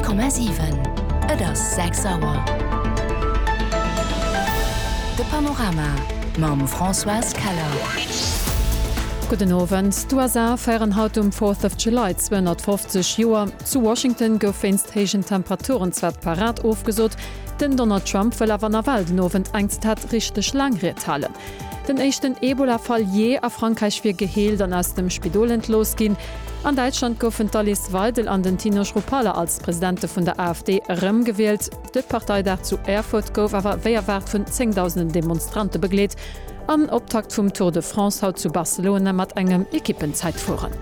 100,7 Et ass 6 Auer. De Panorama mam Françoise Keller. Gudden Owend. D'USA feieren haut um Fourth of July 250 Joer. Zu Washington gouf wéinst héijen Temperaturen zwar d'Parad ofgesot, den Donald Trump wëll awer nawell den Owend eng, Zitat, richteg laang Ried halen. Den éischten Ebola-Fall jee a Frankräich wier geheelt an aus dem Spidol entlooss ginn. An Däitschland goufen d'Alice Weidel an den Tino Chrupalla als Presidente vun der AfD erëmgewielt. De Parteidag zu Erfurt gouf awer wéi erwaart vun zéngdausenden Demonstrante begleet. An Optakt vum Tour de France haut zu Barcelona mat engem Ekippenzäitfueren.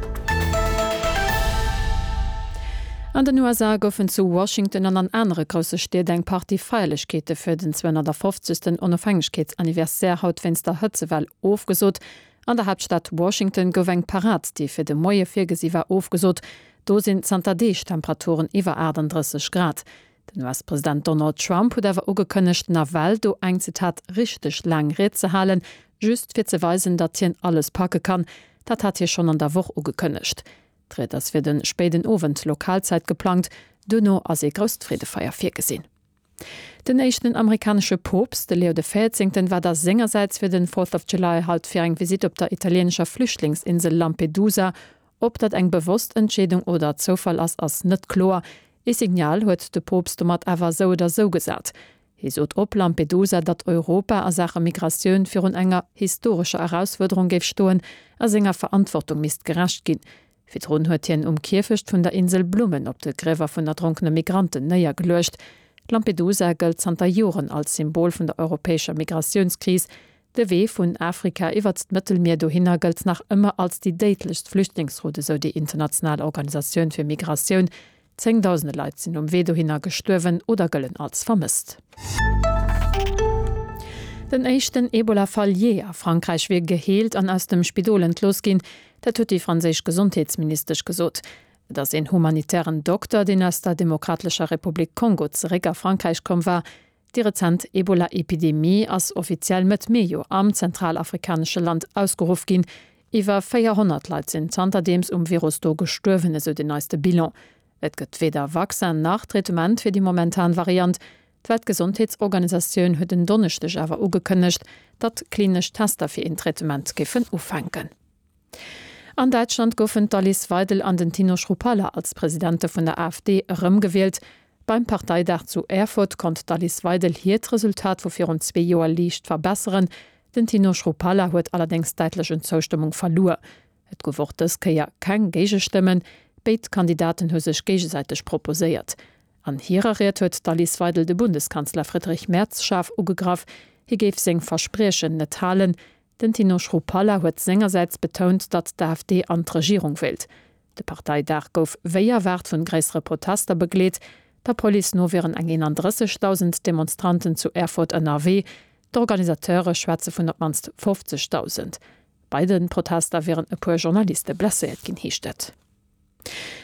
An den USA goufen zu Washington an an anere grousse Stied eng Partie Feierlechkeete fir den 250. Onofhängegkeetsanniversaire haut wéinst der Hëtzewell ofgesot. An der Haaptstad Washington gouf eng Parad, déi fir de Moie virgesi war, ofgesot. Do sinn zanter Deeg Temperaturen iwwer 38 Grad. Den US-President Donald Trump huet awer ugekënnegt, nawell do eng, Zitat, richteg laang Ried ze halen, just fir ze weisen, datt hien alles packe kann. Dat hat hie schonn an der Woch ugekënnegt. D'Ried ass fir de spéiden Owend Lokalzäit geplangt, duerno ass ee grousst Freedefeier virgesinn. Den éischten amerikanesche Poopst, de Leo de Véierzéngten, war da sengersäits fir den Fourth of July haut fir eng Visitt op der italieenescher Flüchtlingsinsel Lampedusa. Ob dat eng bewosst Entscheedung oder Zoufall ass, ass net kloer. Ee Signal huet de Poopst domat awer esou oder esou gesat. Hie sot op Lampedusa, datt Europa a Saache Migratioun virun enger historescher Erausfuerderung géif stoen a senger Verantwortung misst gerecht ginn. Virdrun huet hien um Kierfecht vun der Insel Blummen op de Griewer vun erdronkene Migranten néiergeluecht. Lampedusa gëllt zanter Joren als Symbol vun der europäescher Migratiounskris. De Wee vun Afrika iwwert d'Mëttelmier dohinner gëllt nach ëmmer als déi déidlechst Flüchtlingsroute, esou déi international Organisatioun fir Migratioun. Zéngdausende Leit sinn um Wee dohinner gestuerwen oder gëllen als vermësst. Den éischten Ebola-Fall jee a Frankräich wier geheelt an aus dem Spidol entlooss ginn. Dat huet déi franséisch Gesondheetsministesch gesot. Et ass een humanitären Dokter, deen aus der Demokratlecher Republik Kongo zeréck a Frankräich komm war. Déi rezent Ebola-Epidemie ass offiziell Mëtt Mee jo am zentralafrikanesche Land ausgeruff ginn. Iwwer 400 Leit sinn zanterdeems um Virus do gestuerwen, esou den neiste Bilan. Et gëtt weder Vaccin nach Traitement fir déi momentan Variant. D'Weltgesondheetsorganisatioun huet en Donneschdeg awer ugekënnegt, datt klinesch Tester fir een Traitement géifen ufänken. An Däitschland goufen d'Alice Weidel an den Tino Chrupalla als Presidente vun der AfD erëmgewielt. Beim Parteidag zu Erfurt konnt d'Alice Weidel hiert Resultat vu virun zwee Joer liicht verbesseren. Den Tino Chrupalla huet allerdéngs däitlech un Zoustëmmung verluer. Et gouf och dës Kéier keng Géigestëmmen. Béid Kandidaten hu sech géigesäiteg proposéiert. An hirer Ried huet d'Alice Weidel de Bundeskanzler Friedrich Merz schaarf ugegraff. Hie géif seng Verspriechen net halen. Den Tino Chrupalla huet sengersäits betount, datt d'AfD an d'Regierung wéilt. De Parteidag gouf wéi erwaart vun gréissere Protester begleet. Der Police no wieren eng 31.000 Demonstranten zu Erfurt ënnerwee. D'Organisateure schwätze vun op d'mannst 50.000. Bei de Protester wieren e puer Journaliste blesséiert ginn, heescht et.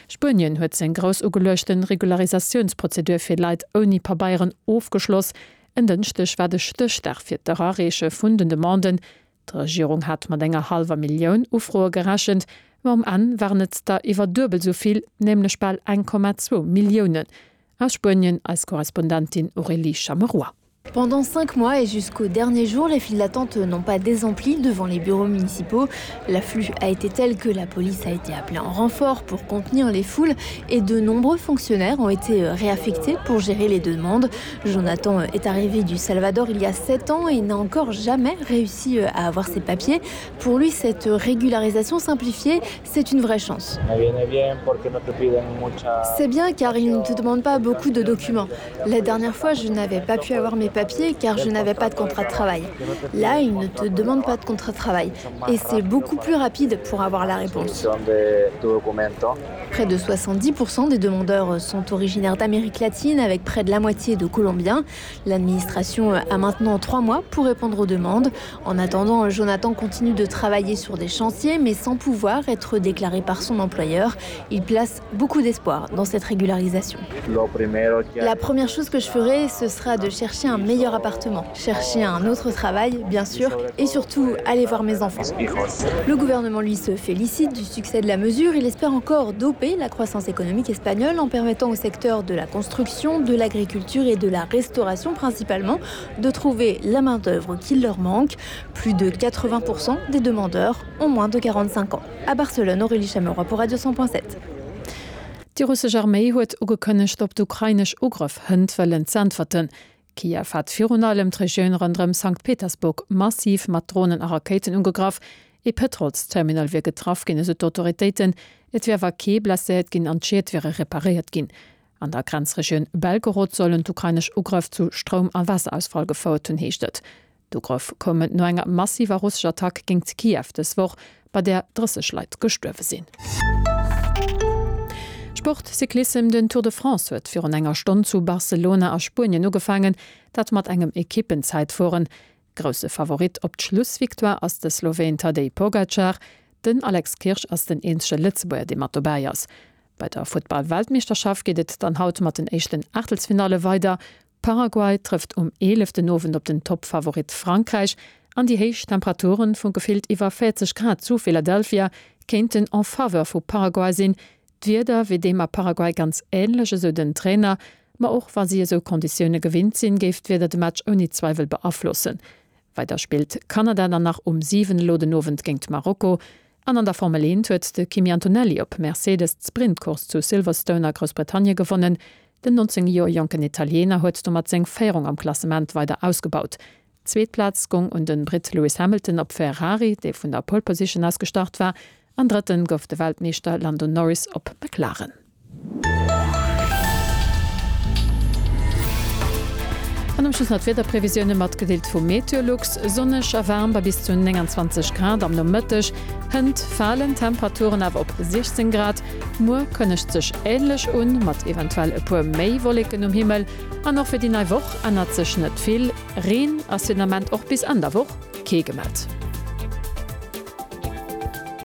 Spuenien huet seng grouss ugeluechte Regularisatiounsprozedur fir Leit ouni Pabeieren ofgeschloss. En Dënschdeg war de Stéchdag fir d'Erareeche vun den Demanden. D'Regierung hat mat enger hallwer Millioun Ufroe gerechent, ma um Enn waren et der iwwer duebel esou vill, nämlech bal 1,2 Milliounen. Aus Spuenien eis Korrespondentin Aurélie Chameroy. Pendant cinq mois et jusqu'au dernier jour, les files d'attente n'ont pas désempli devant les bureaux municipaux. L'afflux a été tel que la police a été appelée en renfort pour contenir les foules et de nombreux fonctionnaires ont été réaffectés pour gérer les demandes. Jonathan est arrivé du Salvador il y a sept ans et n'a encore jamais réussi à avoir ses papiers. Pour lui, cette régularisation simplifiée, c'est une vraie chance. C'est bien car il ne te demande pas beaucoup de documents. La dernière fois, je n'avais pas pu avoir mes papiers car je n'avais pas de contrat de travail. Là, il ne te demande pas de contrat de travail et c'est beaucoup plus rapide pour avoir la réponse. Près de 70% des demandeurs sont originaires d'Amérique latine avec près de la moitié de Colombiens. L'administration a maintenant trois mois pour répondre aux demandes. En attendant, Jonathan continue de travailler sur des chantiers mais sans pouvoir être déclaré par son employeur. Il place beaucoup d'espoir dans cette régularisation. La première chose que je ferai, ce sera de chercher un meilleur appartement, chercher un autre travail, bien sûr, et surtout aller voir mes enfants. Le gouvernement lui se félicite du succès de la mesure. Il espère encore d'opérer. pomper la croissance économique espagnole en permettant au secteur de la construction, de l'agriculture et de la restauration principalement de trouver la main-d'œuvre qui leur manque. Plus de 80% des demandeurs ont moins de 45 ans. À Barcelone, Aurélie Chameroy pour Radio 100.7. Déi russesch Arméi huet ugekënnegt, op d'ukrainesch Ugrëff hënt wëllen z'äntwerten. Kiew hat virun allem d'Regioun ronderëm Sankt Petersburg massiv mat Dronen a Rakéiten ugegraff. Ee Pëtrolsterminal wier getraff ginn, esou d'Autoritéiten. Et wier awer kee blesséiert ginn an d'Schied wiere reparéiert ginn. An der Grenzregioun Belgorod sollen d'ukrainesch Ugrëff zu Stroum a Waasserausfall gefouert hunn, heescht et. D'Ugrëff koumen no enger massiver russescher Attack géingt Kiew dës Woch, bei där 30 Leit gestuerwe sinn. Sport, Cyclissem, Den Tour de France huet virun enger Stonn zu Barcelona a Spuenien ugefaangen, dat mat engem Ekippenzäitfueren. Grousse Favorit op d'Schlussvictoire ass de Sloween Tadej Pogacar. Den Alex Kirsch ass den eenzege Lëtzebuerger, dee mat dobäi ass. Bei der Futtball-Weltmeeschterschaft geet et dann haut mat den éischten Aachtelsfinalle weider. Paraguay trëfft um 11 den Owend op den Toppfavorit Frankräich an déi héich Temperaturen vu gefillt iwwer 40 Grad zu Philadelphia kéinten en faveur vu Paraguay sinn. D'Wieder wier deem a Paraguay ganz änlech, esou den Trainer. Ma och wa si esou Konditioune gewinnt sinn, géif d'Wieder de Match ouni Zweiwel beaflossen. Weider spillt Kanada dann nach um 7 elo den Owend géingt Marokko. An an der Formel 1 huet de Kimi Antonelli op Mercedes d'Sprintcourse zu Silverstone a Groussbritannien gewonnen. Den 19 Joer jonken Italiener huet domat seng Féierung am Klassement weider ausgebaut. D'zweet Plaz gong un de Britt Lewis Hamilton op Ferrari, dee vun der Pole Position aus gestart war, an Drëtten gouf de Weltmeeschter Lando Norris op McLaren. An um Schluss nach d'Wiederprevisioune matgedeelt vu Meteolux, Sonneg a waarm bei bis zu 29 Grad am Nomëtteg, hënt falen d'Temperaturen awer op 16 Grad. Muer kënnegt sech änlech un, mat eventuell e puer méi Wolleken um Himmel. An och fir déi nei Woch ännert sech net vill, Reen ass fir den Ament och bis Enn der Woch kee gemellt.